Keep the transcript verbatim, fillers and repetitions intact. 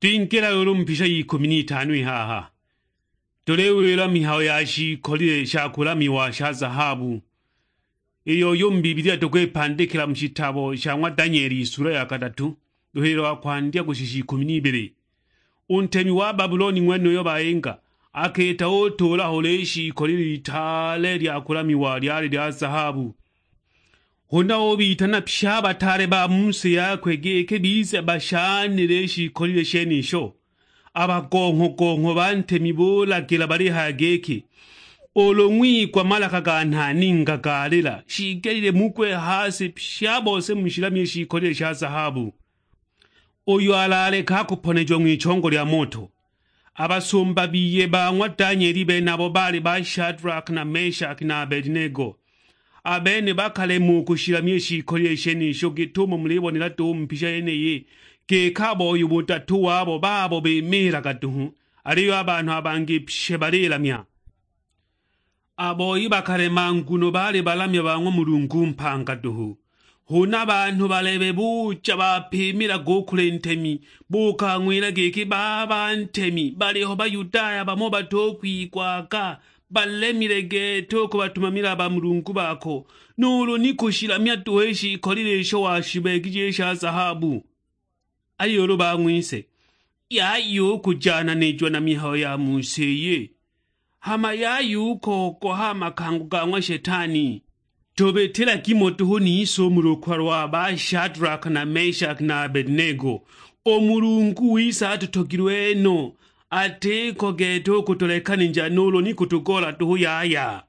Twingila ulu mu mpisha y'ikumi n'itano i haha, tuliwila mihayo ya shiikolile sha kulamiwa sha zahabu, iyo yu mu Bibilia tukwipandikila mu shitabo sha ng'wa Danieli isula ya kadatu, luhililo lwa kwandya kushisha ikumi n'ibili. U ntemi wa Babuloni ng'wenuyo bayinga, akita utuula ho lishiikolile itaale lya kulamiwa lyali lya zahabu. Huna ubitana pye a bataale ba mu si yakwe giki bize bashanile i shiikolile shenisho. A bagongho-gongho ba ntemi bulagila balihaya giki, "Ulu ng'wigwa malaka ga nhaninga galila, shiigelile mugwe ha si pye a bose mushilamye i shiikolile sha zahabu." Uyo alaleka akuponejiwa ng'wichongo lya moto. A basumba biye ba ng'wa Danieli benabo baali ba Shadraka na Meshaki na Abedinego. A bene bakalemwa u kushilamya i shiikolile shenisho git'umo mulibonela duhu mu mpisha yeniyi, giki a boi u budatu wabo babo bimiilaga duhu, aliyo a banhu a bangi pye balilamya. A boi bakalema nguno baali balamya ba ng'wa Mulungu mpanga duhu. Huna banhu balebe buja bapimilaga u kuli ntemi, bukang'wila giki, "Baba ntemi, baliho Bayudaya bamo batukwigwaga, balemile gete u kubatumamila a bamulungu bako, nuulu ni kushilamya duhu i shiikolile isho washibeegije i sha zahabu." Aliyo ulu bang'wise, "Yaya u kujananijiwa na mihayo ya mu si iyi, hama yaya u kogoha a makango ga ng'wa Shetani." Tubitila gimo duhu nise u mu lukwa lwa ba Shadraka na Meshaki na Abedinego. U Mulungu wise atutogilwe no, atiko gete u kutulekanija nuulu ni kutugoola duhu yaya.